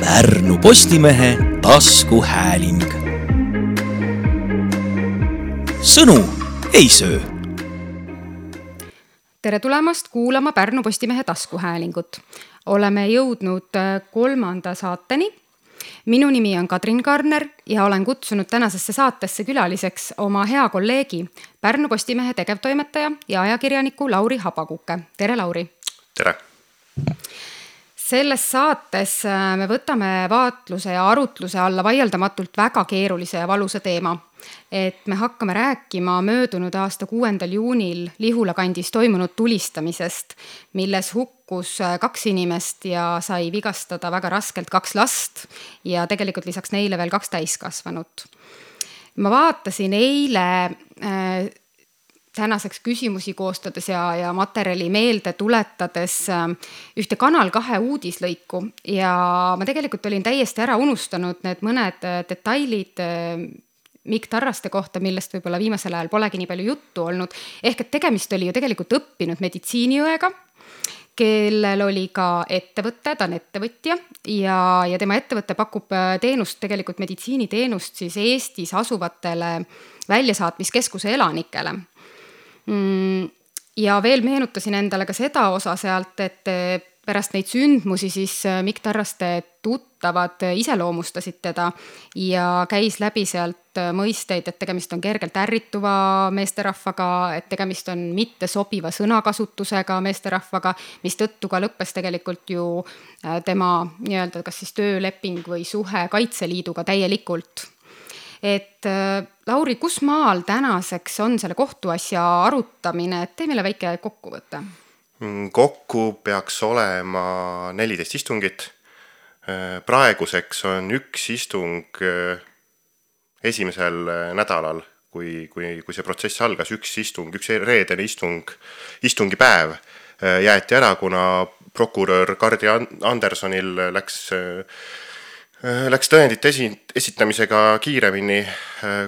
Pärnu Postimehe taskuhääling. Sõnu ei söö. Tere tulemast kuulama Pärnu Postimehe taskuhäälingut. Oleme jõudnud 3. saateni. Minu nimi on Kadrin Karner ja olen kutsunud tänasesse saatesse külaliseks oma hea kolleegi, Pärnu Postimehe tegevtoimetaja ja ajakirjaniku Lauri Habakuke. Tere, Lauri! Tere! Selles saates me võtame vaatluse ja arutluse alla vaieldamatult väga keerulise ja valusa teema. Et me hakkame rääkima möödunud aasta 6. juunil Lihula kandis toimunud tulistamisest, milles hukkus 2 inimest ja sai vigastada väga raskelt 2 last ja tegelikult lisaks neile veel 2 täiskasvanut. Ma vaatasin eile tänaseks küsimusi koostades ja materjali meelde tuletades ühte Kanal 2 uudislõiku ja ma tegelikult olin täiesti ära unustanud need mõned detailid Mikk Tarraste kohta, millest võib-olla viimasel ajal polegi nii palju juttu olnud. Ehk et tegemist oli ju tegelikult õppinud meditsiiniõega, kellel oli ka ettevõte, ta on ettevõtja ja tema ettevõte pakub teenust, tegelikult meditsiiniteenust siis Eestis asuvatele väljasaatmiskeskuse elanikele. Ja veel meenutasin endale ka seda osa sealt, et pärast neid sündmusi siis Mikk Tarraste tuttavad iseloomustasid teda ja käis läbi sealt mõisteid, et tegemist on kergelt ärrituva meesterahvaga, et tegemist on mitte sobiva sõnakasutusega meesterahvaga, mis tõttu ka lõppes tegelikult ju tema nii-öelda kas siis tööleping või suhe Kaitseliiduga täielikult. Et Lauri, kus maal tänaseks on selle kohtuasja arutamine? Tee meile väike kokkuvõte. Kokku peaks olema 14 istungit. Praeguseks on 1 istung esimesel nädalal, kui see protsess algas, 1 istung, 1 reedene istungipäev jäeti ära, kuna prokurör Kardi Andersonil läks tõendite esitamisega kiiremini,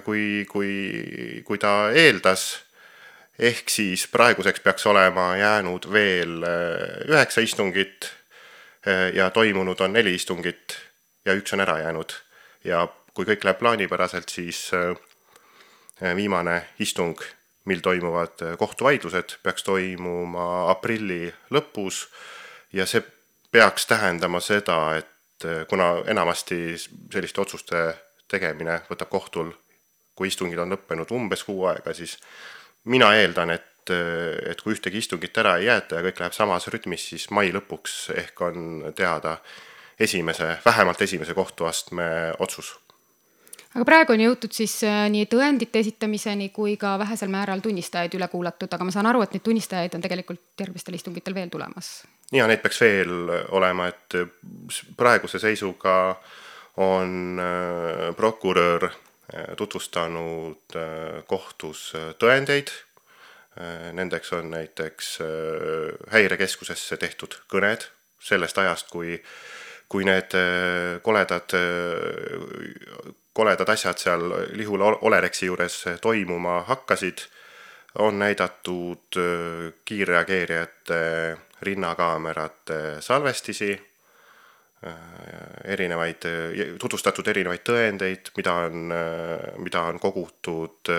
kui ta eeldas. Ehk siis praeguseks peaks olema jäänud veel 9 istungit ja toimunud on 4 istungit ja 1 on ära jäänud. Ja kui kõik läheb plaanipäraselt, siis viimane istung, mil toimuvad kohtuvaidlused, peaks toimuma aprilli lõpus ja see peaks tähendama seda, et kuna enamasti selliste otsuste tegemine võtab kohtul, kui istungid on lõppenud umbes 6 aega, siis mina eeldan, et kui ühtegi istungit ära ei jäeta ja kõik läheb samas rütmis, siis mai lõpuks ehk on teada vähemalt esimese kohtuastme otsus. Aga praegu on jõutud siis nii tõendite esitamiseni kui ka vähesel määral tunnistajaid üle kuulatud, aga ma saan aru, et neid tunnistajaid on tegelikult järgmistel istungitel veel tulemas. Ja neid peaks veel olema, et praeguse seisuga on prokurör tutvustanud kohtus tõendeid. Nendeks on näiteks häirekeskusesse tehtud kõned sellest ajast, kui need koledad asjad seal Lihula Olereksi juures toimuma hakkasid, on näidatud kiirreageerijate rinnakaamerate salvestisi, tutvustatud erinevaid tõendeid, mida on kogutud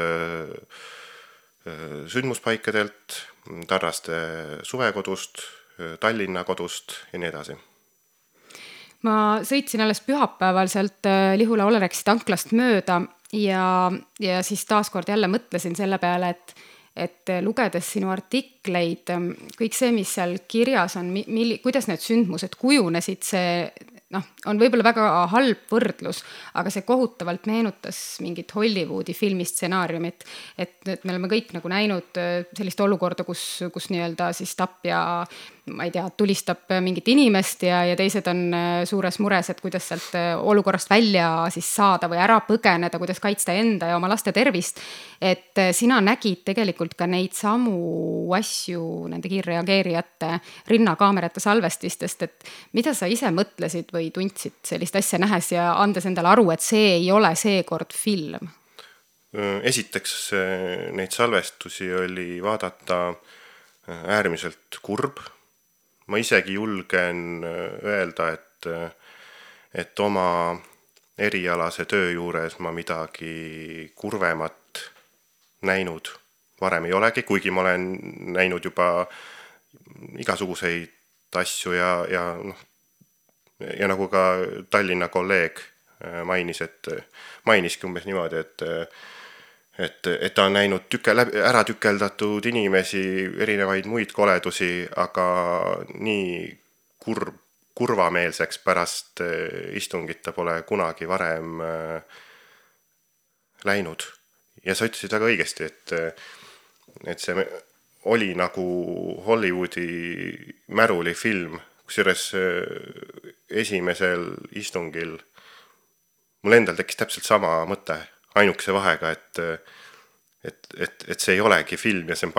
sündmuspaikadelt, Tarraste suvekodust, Tallinna kodust ja nii edasi. Ma sõitsin alles pühapäeval sealt Lihula Olereksi tanklast mööda ja siis taaskord jälle mõtlesin selle peale, et lugedes sinu artikleid, kõik see, mis seal kirjas on, kuidas need sündmused kujunesid, see on võib-olla väga halb võrdlus, aga see kohutavalt meenutas mingit Hollywoodi filmistsenaariumit, et me oleme kõik nagu näinud sellist olukorda, kus nii-öelda siis tapja, ma ei tea, tulistab mingit inimest ja teised on suures mures, et kuidas sealt olukorrast välja siis saada või ära põgeneda, kuidas kaitsta enda ja oma laste tervist. Et sina nägid tegelikult ka neid samu asju nende kiirreageerijate rinnakaamerate salvestistest, et mida sa ise mõtlesid või tundsid sellist asja nähes ja andes endale aru, et see ei ole seekord film? Esiteks neid salvestusi oli vaadata äärmiselt kurb. Ma isegi julgen öelda, et oma erialase töö juures ma midagi kurvemat näinud varem ei olegi, kuigi ma olen näinud juba igasuguseid asju ja nagu ka Tallinna kolleeg mainiski umbes niimoodi, et ta on näinud ära tükeldatud inimesi, erinevaid muid koledusi, aga nii kurvameelseks pärast istungit ta pole kunagi varem läinud. Ja sa ütlesid väga õigesti, et see oli nagu Hollywoodi märulifilm, kusjuures esimesel istungil mul endal tekkis täpselt sama mõte, ainukese vahega, et see ei olegi film ja see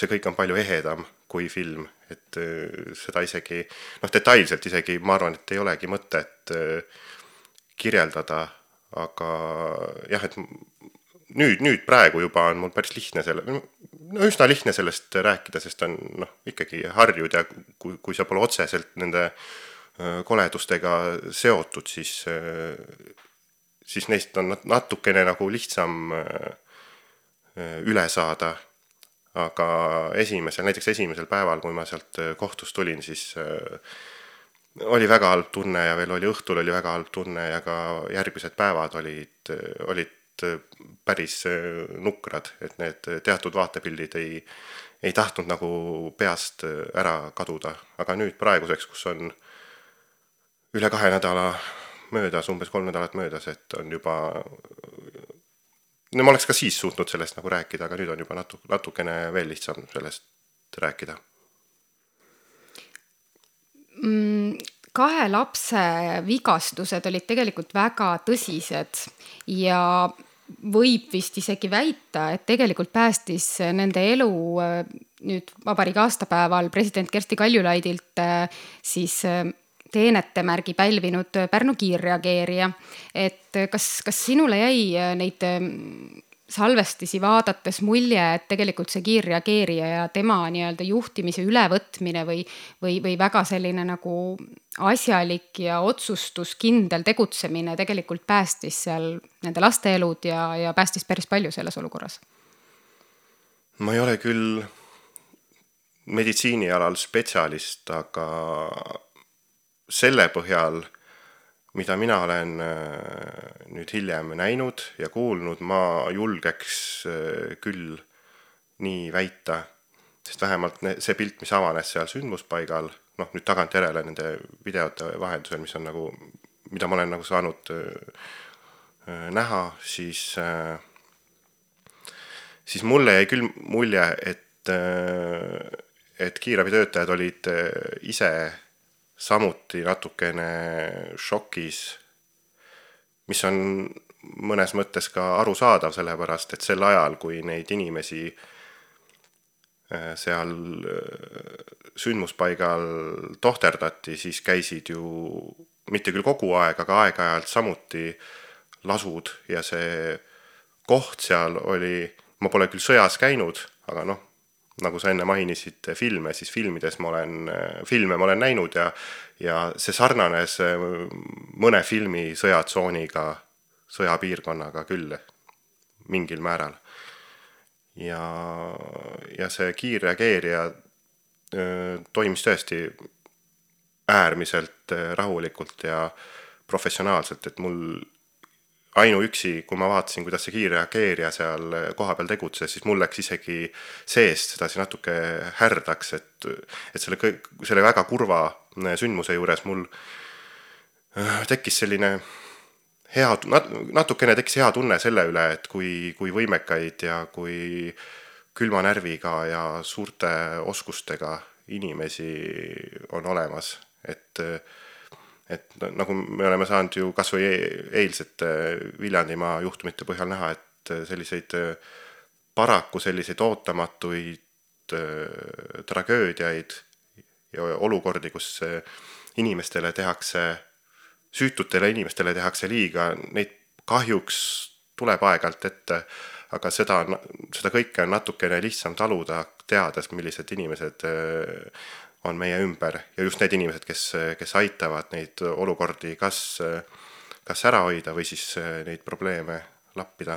kõik on palju ehedam kui film, et seda isegi, detailselt isegi ma arvan, et ei olegi mõtet kirjeldada, aga jah, et nüüd praegu juba on mul päris lihtne üsna lihtne sellest rääkida, sest on ikkagi harjud ja kui sa pole otseselt nende koledustega seotud, siis neist on natukene nagu lihtsam üle saada. Aga näiteks esimesel päeval, kui ma sealt kohtust tulin, siis oli väga halb tunne ja veel õhtul oli väga halb tunne ja ka järgmised päevad olid päris nukrad, et need teatud vaatepildid ei tahtnud nagu peast ära kaduda. Aga nüüd praeguseks, kus on üle 2 nädala möödas, umbes 3 nädalat möödas, et on juba... No ma oleks ka siis suutnud sellest nagu rääkida, aga nüüd on juba natukene veel lihtsam sellest rääkida. 2 lapse vigastused olid tegelikult väga tõsised ja võib vist isegi väita, et tegelikult päästis nende elu nüüd vabariigi aastapäeval president Kersti Kaljulaidilt siis teenetemärgi pälvinud Pärnu kiirreageerija. Et kas sinule jäi neid salvestisi vaadates mulje, et tegelikult see kiirreageerija ja tema nii-öelda juhtimise ülevõtmine või väga selline nagu asjalik ja otsustuskindel tegutsemine tegelikult päästis seal nende laste elud ja päästis päris palju selles olukorras? Ma ei ole küll meditsiinialal spetsialist, aga selle põhjal, mida mina olen nüüd hiljem näinud ja kuulnud, ma julgeks küll nii väita, sest vähemalt see pilt, mis avanes seal sündmuspaigal, nüüd tagantjärele nende videote vahendusel, mis on nagu, mida ma olen nagu saanud näha, siis mulle jäi küll mulje, et kiirabitöötajad olid ise samuti natukene šokis, mis on mõnes mõttes ka arusaadav, sellepärast, et sel ajal, kui neid inimesi seal sündmuspaigal tohterdati, siis käisid ju mitte küll kogu aeg, aga aeg-ajalt samuti lasud ja see koht seal oli, ma pole küll sõjas käinud, aga nagu sa enne mainisid filme, siis filme ma olen näinud ja see sarnanes mõne filmi sõjatsooniga, sõjapiirkonnaga küll mingil määral. Ja see kiirreageerija toimis tõesti äärmiselt rahulikult ja professionaalselt, et mul ainuüksi, kui ma vaatasin, kuidas see kiirreageerija seal kohapeal tegutses, siis mul läks isegi seest sedasi natuke härdaks, et selle väga kurva sündmuse juures mul tekkis selline natukene tekkis hea tunne selle üle, et kui võimekaid ja kui külma närviga ja suurte oskustega inimesi on olemas, et nagu me oleme saanud ju kas või eilsete Viljandimaa juhtumite põhjal näha, et paraku selliseid ootamatuid tragöödiaid ja olukordi, kus süütutele inimestele tehakse liiga, neid kahjuks tuleb aeg-ajalt ette, aga seda kõike on natukene lihtsam taluda, teades, millised inimesed on meie ümber ja just need inimesed, kes aitavad neid olukordi kas ära hoida või siis neid probleeme lappida.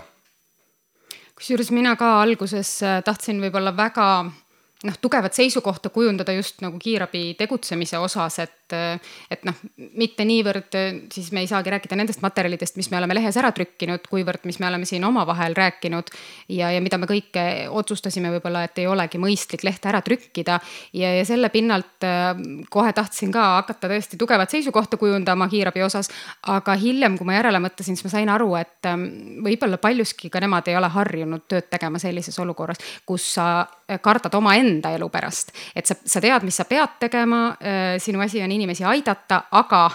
Kusjuures mina ka alguses tahtsin võib-olla väga tugevat seisukohta kujundada just nagu kiirabi tegutsemise osas, et mitte niivõrd, siis me ei saagi rääkida nendest materjalidest, mis me oleme lehes ära trükkinud, kuivõrd, mis me oleme siin omavahel rääkinud ja mida me kõike otsustasime võib-olla, et ei olegi mõistlik lehte ära trükkida ja selle pinnalt kohe tahtsin ka hakata tõesti tugevat seisukohta kujundama kiirabi osas, aga hiljem, kui ma järele mõtlesin, siis ma sain aru, et võib-olla paljuski ka nemad ei ole harjunud tööd tegema sellises olukorras, kus sa kardad oma enda elu pärast, et sa tead, mis sa pead tegema, sinu asi on inimesi aidata, aga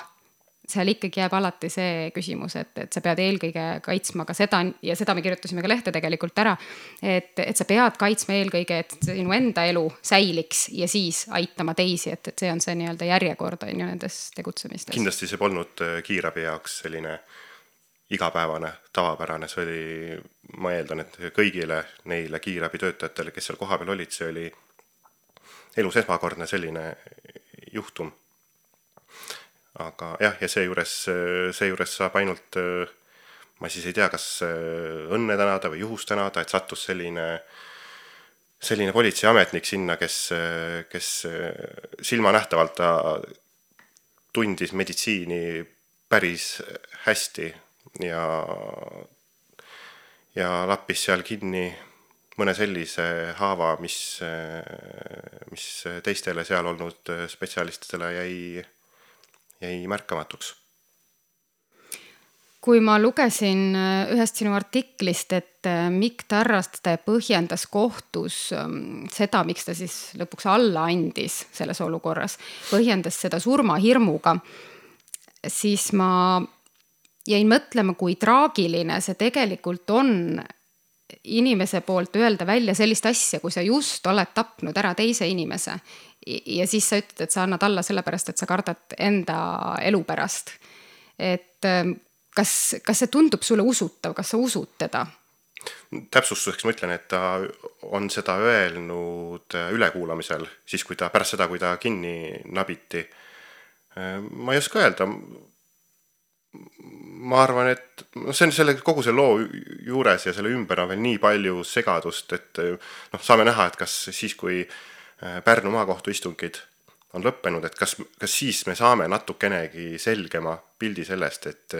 seal ikkagi jääb alati see küsimus, et sa pead eelkõige kaitsma ka seda ja seda me kirjutasime ka lehte tegelikult ära, et sa pead kaitsma eelkõige, et sinu enda elu säiliks ja siis aitama teisi, et see on see nii-öelda järjekord on ju nendes tegutsemistes. Kindlasti see polnud kiirabi jaoks selline igapäevane, tavapärane, see oli, ma eeldan, et kõigile neile kiirabi töötajatele, kes seal kohapeal olid, see oli elus esmakordne selline juhtum. Aga jah, ja seejuures saab ainult, ma siis ei tea, kas õnne tänada või juhust tänada, et sattus selline politseiametnik sinna, kes silmanähtavalt ta tundis meditsiini päris hästi ja lappis seal kinni mõne sellise haava, mis teistele seal olnud spetsialistidele jäi märkamatuks. Kui ma lugesin ühest sinu artiklist, et Mikk Tarraste põhjendas kohtus seda, miks ta siis lõpuks alla andis selles olukorras, põhjendas seda surmahirmuga, siis ma jäin mõtlema, kui traagiline see tegelikult on inimese poolt öelda välja sellist asja, kui sa just oled tapnud ära teise inimese ja siis sa ütled, et sa annad alla sellepärast, et sa kardad enda elu pärast. Et kas see tundub sulle usutav, kas sa usud teda? Täpsustuseks ma ütlen, et ta on seda öelnud ülekuulamisel, siis pärast seda, kui ta kinni nabiti. Ma ei oska öelda. Ma arvan, et see on kogu selle loo juures ja selle ümber on veel nii palju segadust, et saame näha, et kas siis, kui Pärnu maakohtu istungid on lõppenud, et kas siis me saame natukenegi selgema pildi sellest, et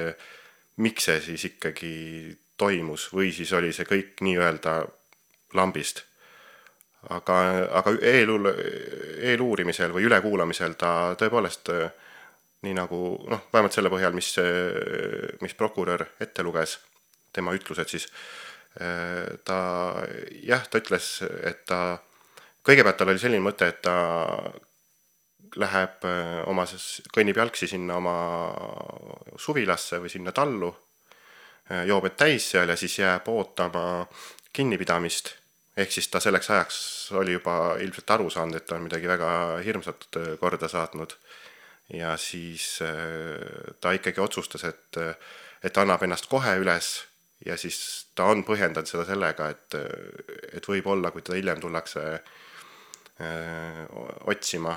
miks see siis ikkagi toimus või siis oli see kõik nii-öelda lambist. Aga eeluurimisel või ülekuulamisel ta tõepoolest nii nagu, vähemalt selle põhjal, mis prokurör ette luges, tema ütlused siis, ta ütles, et kõigepealt tal oli selline mõte, et ta läheb kõnnib jalgsi sinna oma suvilasse või sinna tallu, joobed täis seal ja siis jääb ootama kinnipidamist, ehk siis ta selleks ajaks oli juba ilmselt aru saanud, et ta on midagi väga hirmsat korda saatnud. Ja siis ta ikkagi otsustas, et annab ennast kohe üles ja siis ta on põhjendanud seda sellega, et võib olla, kui ta hiljem tullakse otsima,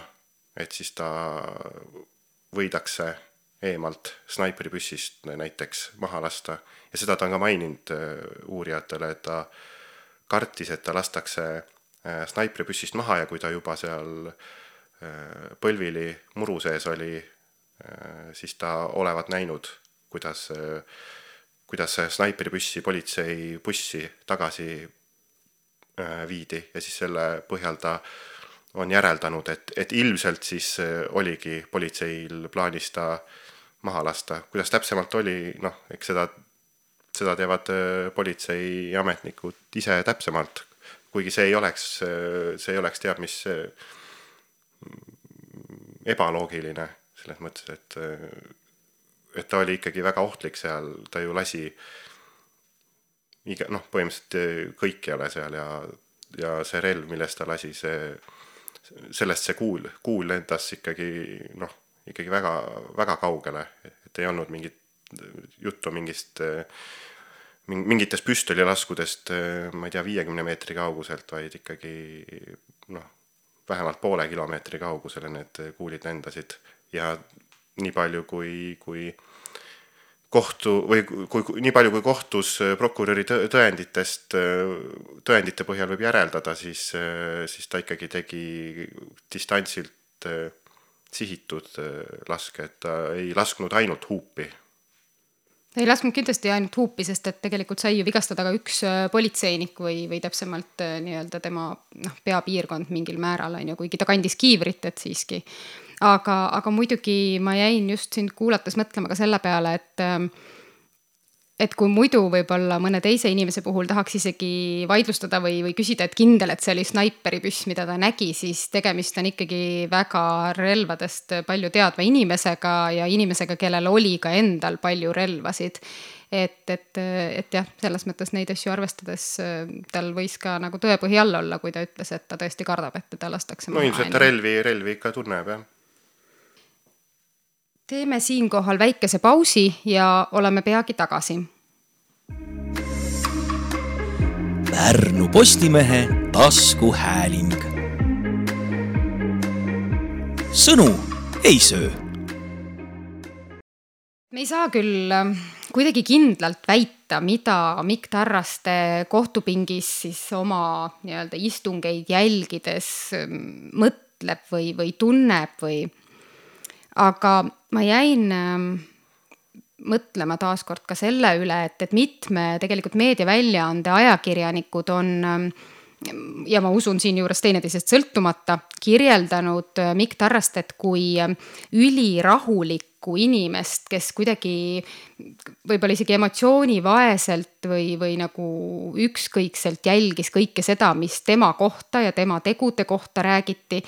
et siis ta võidakse eemalt snaipripüssist näiteks maha lasta. Ja seda ta on ka maininud uurijatele, et ta kartis, et ta lastakse snaipripüssist maha ja kui ta juba seal põlvili muru sees oli, siis ta olevat näinud, kuidas snaipripüssi politsei bussi tagasi viidi ja siis selle põhjal ta on järeldanud, et ilmselt siis oligi politseil plaanis ta maha lasta. Kuidas täpsemalt oli, eks seda teevad politseiametnikud ise täpsemalt, kuigi see ei oleks teab mis ebaloogiline selles mõttes, et ta oli ikkagi väga ohtlik seal, ta ju lasi põhimõtteliselt kõikjale seal ja see relv, millest ta lasi, sellest see kuul lendas ikkagi väga, väga kaugele, et ei olnud mingit juttu mingitest püstolilaskudest, ma ei tea, 50 meetri kauguselt, vaid ikkagi vähemalt poole kilomeetri kaugusele need kuulid lendasid ja nii palju kui nii palju kui kohtus prokuröri tõendite põhjal võib järeldada, siis ta ikkagi tegi distantsilt sihitud laske, et ta ei lasknud ainult huupi. Ei lasknud kindlasti ainult huupi, sest et tegelikult sai ju vigastada ka üks politseinik või täpsemalt nii-öelda tema peapiirkond mingil määral, kuigi ta kandis kiivrit, et siiski. Aga muidugi ma jäin just sind kuulates mõtlema ka selle peale, et kui muidu võib-olla mõne teise inimese puhul tahaks isegi vaidlustada või küsida, et kindel, et see oli snaiperipüss, mida ta nägi, siis tegemist on ikkagi väga relvadest palju teadva inimesega ja inimesega, kellel oli ka endal palju relvasid. Et jah, selles mõttes neid asju arvestades tal võis ka nagu tõepõhi all olla, kui ta ütles, et ta tõesti kardab, et teda lastakse maha. No ilmselt ta relvi ikka tunneb, jah. Teeme siinkohal väikese pausi ja oleme peagi tagasi. Pärnu Postimehe taskuhääling. Sõnu ei söö. Me ei saa küll kuidagi kindlalt väita, mida Mikk Tarraste kohtupingis siis oma nii-öelda istungeid jälgides mõtleb või tunneb aga ma jäin mõtlema taaskord ka selle üle, et mitme tegelikult meediaväljaande ajakirjanikud on, ja ma usun siin juures teineteisest sõltumata, kirjeldanud Mikk Tarrastet kui ülirahulikku inimest, kes kuidagi võib-olla isegi emotsioonivaeselt või nagu ükskõikselt jälgis kõike seda, mis tema kohta ja tema tegude kohta räägiti.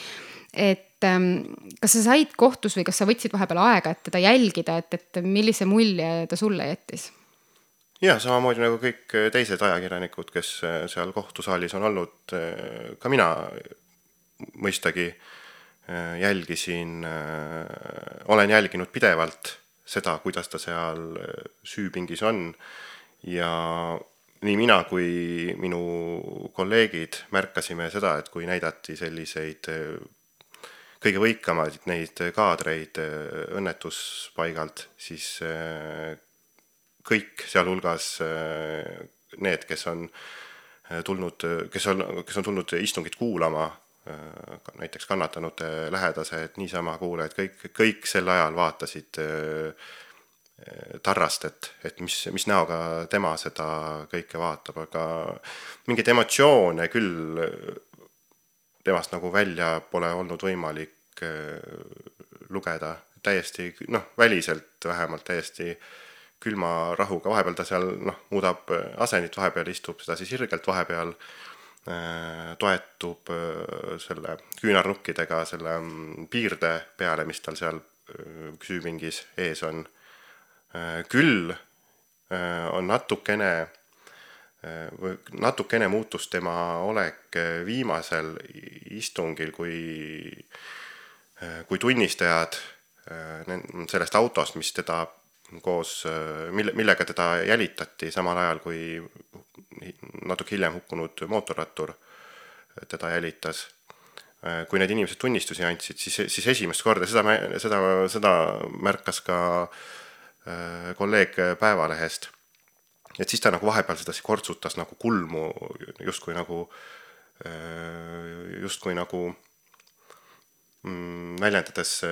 Et kas sa said kohtus või kas sa võtsid vahepeal aega, et teda jälgida, et millise mulje ta sulle jättis? Ja, samamoodi nagu kõik teised ajakirjanikud, kes seal kohtusaalis on olnud, ka mina mõistagi olen jälginud pidevalt seda, kuidas ta seal süüpingis on ja nii mina kui minu kolleegid märkasime seda, et kui näidati selliseid kõige võikamaid neid kaadreid õnnetuspaigalt, siis kõik sealhulgas need, kes on tulnud istungit kuulama, näiteks kannatanute lähedased, niisama kuulajad, kõik sel ajal vaatasid Tarrastet, et mis näoga tema seda kõike vaatab, aga mingid emotsioone küll temast nagu välja pole olnud võimalik lugeda. Täiesti, väliselt vähemalt täiesti külma rahuga. Vahepeal ta seal muudab asendit, vahepeal istub seda siis sirgelt, vahepeal toetub selle küünarnukkidega selle piirde peale, mis tal seal süüpingis ees on. Küll on natukene muutus tema olek viimasel istungil, kui tunnistajad sellest autost, mis teda millega teda jälitati samal ajal, kui natuke hiljem hukkunud mootorrattur teda jälitas. Kui need inimesed tunnistusi andsid, siis esimest korda, seda märkas ka kolleeg Päevalehest. Et siis ta nagu vahepeal seda kortsutas nagu kulmu, justkui nagu väljendades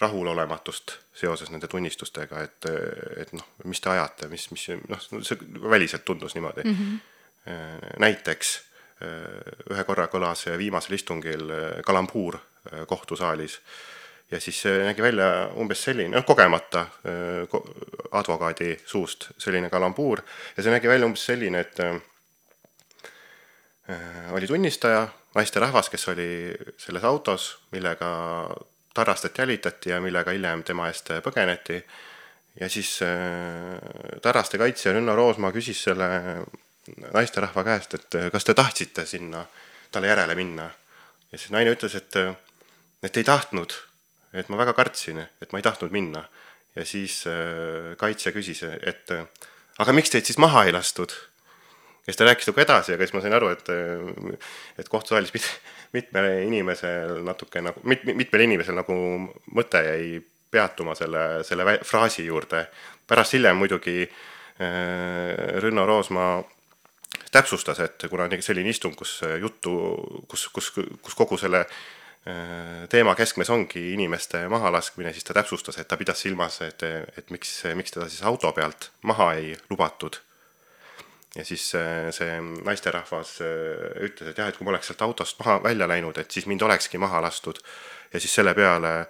rahulolematust seoses nende tunnistustega, et mis te ajate, see väliselt tundus niimoodi. Näiteks ühe korra kõlas viimasel istungil kalambuur kohtusaalis ja siis nägi välja umbes selline, kogemata advokaadi suust selline kalambuur ja see nägi välja umbes selline, et oli tunnistaja, naisterahvas, kes oli selles autos, millega Tarrastet jälitati ja millega hiljem tema eest põgeneti ja siis Tarraste kaitsja Rünno Roosmaa küsis selle naisterahva käest, et kas te tahtsite sinna talle järele minna ja siis naine ütles, et ei tahtnud, et ma väga kartsin, et ma ei tahtnud minna. Ja siis kaitsja küsis, et aga miks teid siis maha ei lastud? kes ta rääkis nagu edasi, aga siis ma sain aru, et kohtusaalis mitmel inimesel nagu mõte jäi peatuma selle fraasi juurde. Pärast hiljem muidugi Rünno Roosmaa täpsustas, et kuna on selline istung, kus kogu selle teema keskmes ongi inimeste mahalaskmine, siis ta täpsustas, et ta pidas silmas, et miks teda siis auto pealt maha ei lubatud. Ja siis see naisterahvas ütles, et jah, et kui ma oleks sealt autost maha välja läinud, et siis mind olekski maha lastud. Ja siis selle peale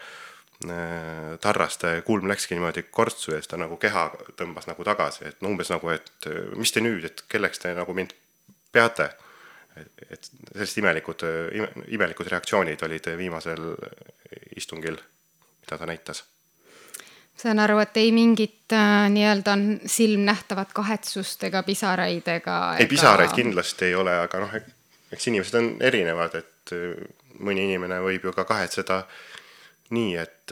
Tarraste kulm läkski niimoodi kortsu ja siis ta nagu keha tõmbas nagu tagasi, et umbes nagu, et mis te nüüd, et kelleks te nagu mind peate? Et sellised imelikud reaktsioonid olid viimasel istungil, mida ta näitas. Saan aru, et ei mingit nii-öelda silmnähtavat kahetsust ega pisaraid ega... Ei, pisaraid kindlasti ei ole, aga eks inimesed on erinevad, et mõni inimene võib ju ka kahetseda nii, et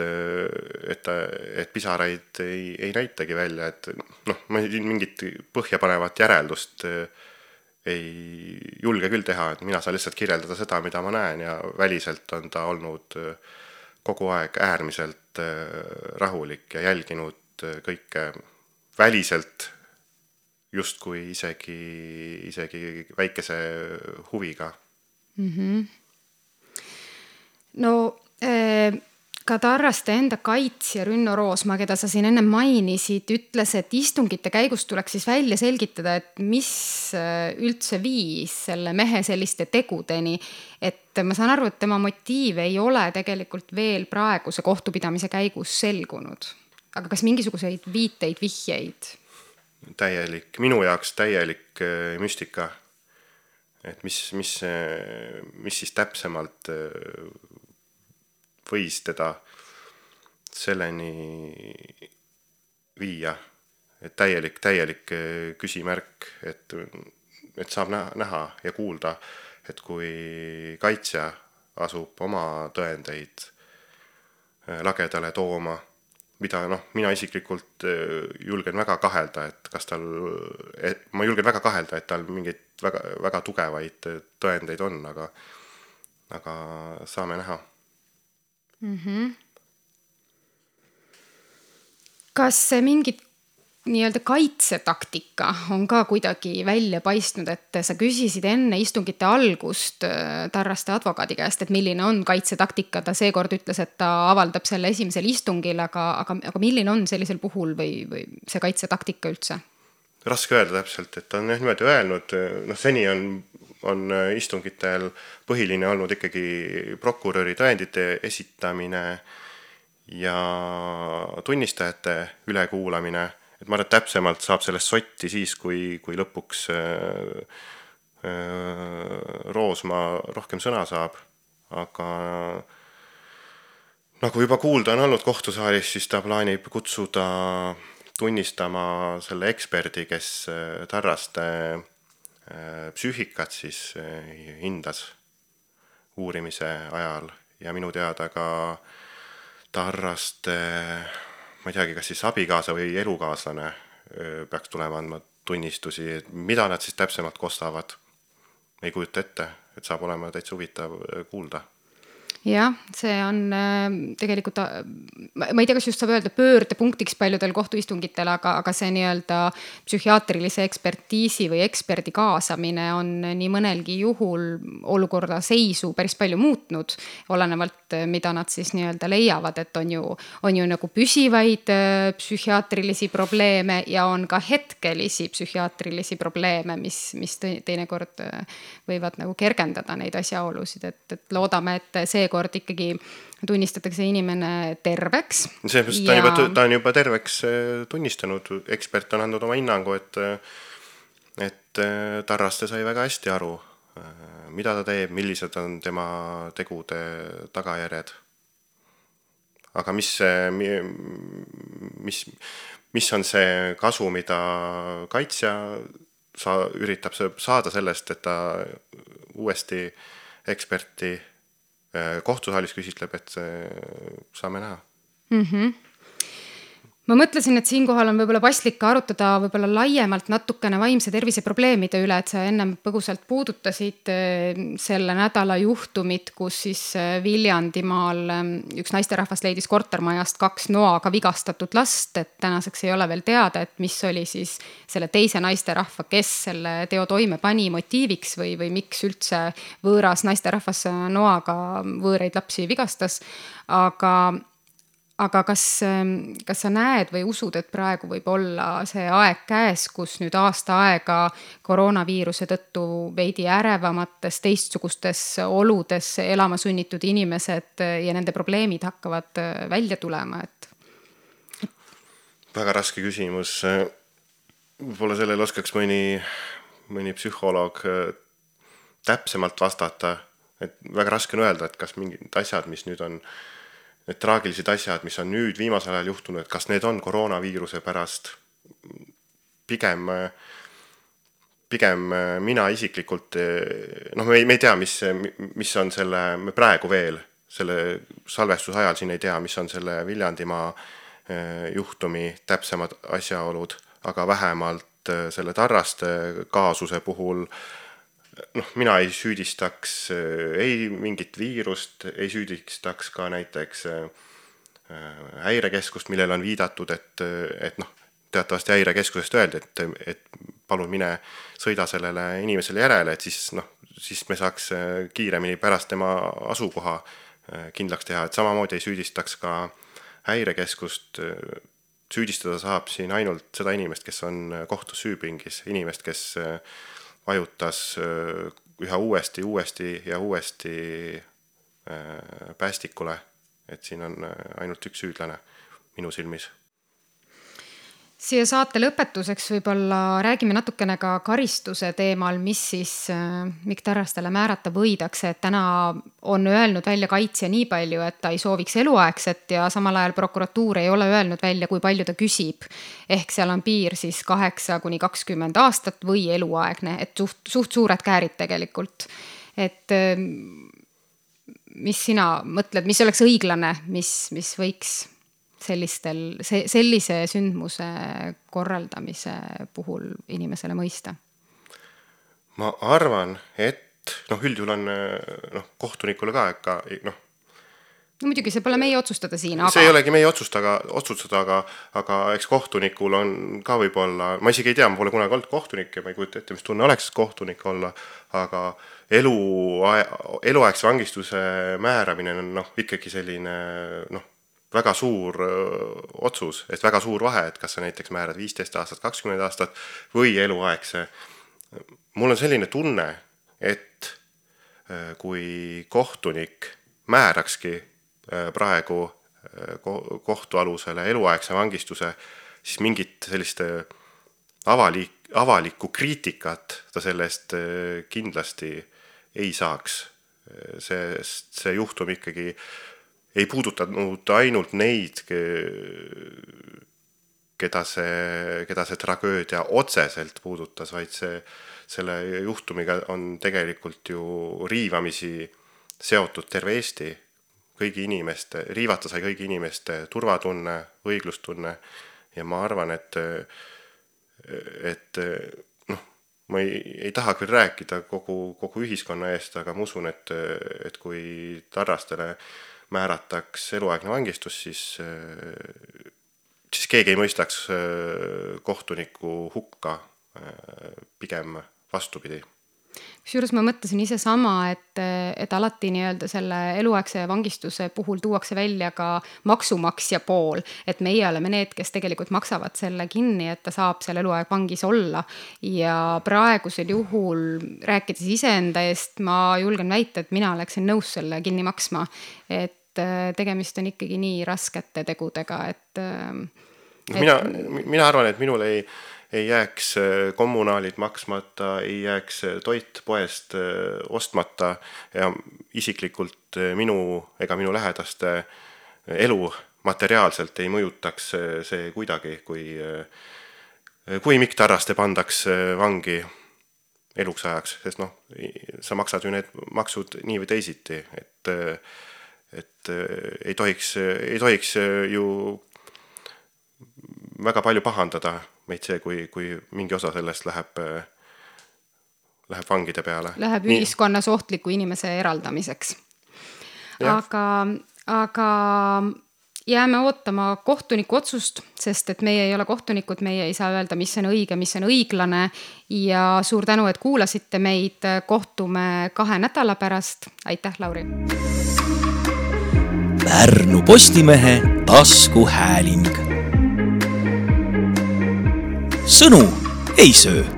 pisaraid ei näitagi välja, et ma mingit põhjapanevat järeldust ei julge küll teha, et mina saan lihtsalt kirjeldada seda, mida ma näen ja väliselt on ta olnud kogu aeg äärmiselt rahulik ja jälginud kõike väliselt justkui isegi väikese huviga. No ka Tarraste enda kaitsja Rünno Roosmaa, keda sa siin enne mainisid, ütles, et istungite käigus tuleks siis välja selgitada, et mis üldse viis selle mehe selliste tegudeni. Et ma saan aru, et tema motiiv ei ole tegelikult veel praeguse kohtupidamise käigus selgunud. Aga kas mingisuguseid viiteid, vihjeid? Minu jaoks täielik müstika. Et mis siis täpsemalt võis teda selleni viia, et täielik küsimärk, et saab näha ja kuulda, et kui kaitsja asub oma tõendeid lagedale tooma, mida mina isiklikult julgen väga kahelda, et tal mingeid väga tugevaid tõendeid on, aga saame näha. Kas mingid nii-öelda kaitsetaktika on ka kuidagi välja paistnud, et sa küsisid enne istungite algust Tarraste advokaadi käest, et milline on kaitsetaktika, ta seekord ütles, et ta avaldab selle esimesel istungil, aga milline on sellisel puhul või see kaitsetaktika üldse? Raske öelda täpselt, et ta on niimoodi öelnud, seni on istungitel põhiline olnud ikkagi prokuröri tõendite esitamine ja tunnistajate ülekuulamine, et ma arvan, et täpsemalt saab sellest sotti siis, kui lõpuks Roosmaa rohkem sõna saab, aga nagu juba kuulda on olnud kohtusaalis, siis ta plaanib kutsuda tunnistama selle eksperdi, kes Tarraste psüühikat siis hindas uurimise ajal ja minu teada ka Tarraste, ma ei teagi, kas siis abikaasa või elukaaslane peaks tulema andma tunnistusi, mida nad siis täpsemalt kostavad. Ei kujuta ette, et saab olema täitsa huvitav kuulda. Jah, see on tegelikult, ma ei tea, kas just saab öelda pöördepunktiks paljudel kohtuistungitel, aga see nii-öelda psühhiaatrilise ekspertiisi või eksperdi kaasamine on nii mõnelgi juhul olukorda seisu päris palju muutnud, olenevalt, mida nad siis nii-öelda leiavad, et on ju nagu püsivaid psühhiaatrilisi probleeme ja on ka hetkelisi psühhiaatrilisi probleeme, mis teinekord võivad nagu kergendada neid asjaolusid, et loodame, et seekord ikkagi tunnistatakse inimene terveks. Ta on juba terveks tunnistanud. Ekspert on andnud oma hinnangu, et Tarraste sai väga hästi aru, mida ta teeb, millised on tema tegude tagajärjed. Aga mis on see kasu, mida kaitsja üritab saada sellest, et ta uuesti eksperti kohtusaalis küsitleb, et saame näha. ma mõtlesin, et siinkohal on võib-olla paslik arutada võib-olla laiemalt natukene vaimse tervise probleemide üle, et sa ennem põgusalt puudutasid selle nädala juhtumit, kus siis Viljandimaal üks naisterahvas leidis kortermajast 2 noaga vigastatud last, et tänaseks ei ole veel teada, et mis oli siis selle teise naisterahva, kes selle teo toime pani motiiviks või miks üldse võõras naisterahvas noaga võõraid lapsi vigastas, aga kas sa näed või usud, et praegu võib olla see aeg käes, kus nüüd aasta aega koroonaviiruse tõttu veidi ärevamates, teistsugustes oludes elama sunnitud inimesed ja nende probleemid hakkavad välja tulema? Väga raske küsimus. Võib-olla sellele oskaks mõni psühholoog täpsemalt vastata. Et väga raske on öelda, et kas mingid asjad, mis nüüd on need traagilised asjad, mis on nüüd viimasel ajal juhtunud, et kas need on koroonaviiruse pärast. Pigem mina isiklikult, me ei tea, mis on me praegu veel selle salvestuse ajal siin ei tea, mis on selle Viljandimaa juhtumi täpsemad asjaolud, aga vähemalt selle Tarraste kaasuse puhul mina ei süüdistaks ei mingit viirust, ei süüdistaks ka näiteks häirekeskust, millel on viidatud, et teatavasti häirekeskusest öeldi, et palun mine sõida sellele inimesele järele, et siis me saaks kiiremini pärast tema asukoha kindlaks teha, et samamoodi ei süüdistaks ka häirekeskust. Süüdistada saab siin ainult seda inimest, kes on kohtus süüpingis, inimest, kes vajutas üha uuesti päästikule, et siin on ainult üks süüdlane minu silmis. Siia saate lõpetuseks võib-olla räägime natukene ka karistuse teemal, mis siis Mikk Tarrastele määrata võidakse, et täna on öelnud välja kaitsja nii palju, et ta ei sooviks eluaegset ja samal ajal prokuratuur ei ole öelnud välja, kui palju ta küsib. Ehk seal on piir siis 8–20 aastat või eluaegne, et suht suured käärid tegelikult. Et mis sina mõtled, mis oleks õiglane, mis võiks sellise sündmuse korraldamise puhul inimesele mõista? Ma arvan, et üldjuhul on kohtunikule ka muidugi see pole meie otsustada siin, aga... See ei olegi meie otsustada, aga eks kohtunikul on ka võib-olla, ma isegi ei tea, ma pole kunagi olnud kohtunik ja ma ei kujuta ette, mis tunne oleks kohtunik olla, aga eluaegse vangistuse määramine on ikkagi selline väga suur otsus, et väga suur vahe, et kas sa näiteks määrad 15 aastat, 20 aastat või eluaegse. Mul on selline tunne, et kui kohtunik määrakski praegu kohtualusele eluaegse vangistuse, siis mingit sellist avalikku kriitikat ta sellest kindlasti ei saaks. See juhtum ikkagi ei puudutanud ainult neid, keda see tragöödia otseselt puudutas, vaid selle juhtumiga on tegelikult ju riivamisi seotud terve Eesti, riivata sai kõigi inimeste turvatunne, õiglustunne ja ma arvan, et ma ei taha küll rääkida kogu ühiskonna eest, aga ma usun, et kui Tarrastele määrataks eluaegne vangistus, siis keegi ei mõistaks kohtuniku hukka, pigem vastupidi. Kusjuures ma mõtlesin ise sama, et alati nii-öelda selle eluaegse vangistuse puhul tuuakse välja ka maksumaksja pool, et meie oleme need, kes tegelikult maksavad selle kinni, et ta saab seal eluaeg vangis olla ja praegusel juhul rääkides iseenda eest, ma julgen väita, et mina oleksin nõus selle kinni maksma, et tegemist on ikkagi nii raskete tegudega, et mina arvan, et minul ei jääks kommunaalid maksmata, ei jääks toit poest ostmata ja isiklikult minu ega minu lähedaste elu materiaalselt ei mõjutaks see kuidagi, kui Mikk Tarraste pandaks vangi eluks ajaks, sest sa maksad ju need maksud nii või teisiti, et ei tohiks ju väga palju pahandada meid see, kui mingi osa sellest läheb vangide peale. Läheb ühiskonnas ohtliku inimese eraldamiseks. Aga jääme ootama kohtuniku otsust, sest et meie ei ole kohtunikud, meie ei saa öelda, mis on õige, mis on õiglane ja suur tänu, et kuulasite meid. Kohtume 2 nädala pärast. Aitäh, Lauri! Pärnu Postimehe taskuhääling. Sõnu ei söö.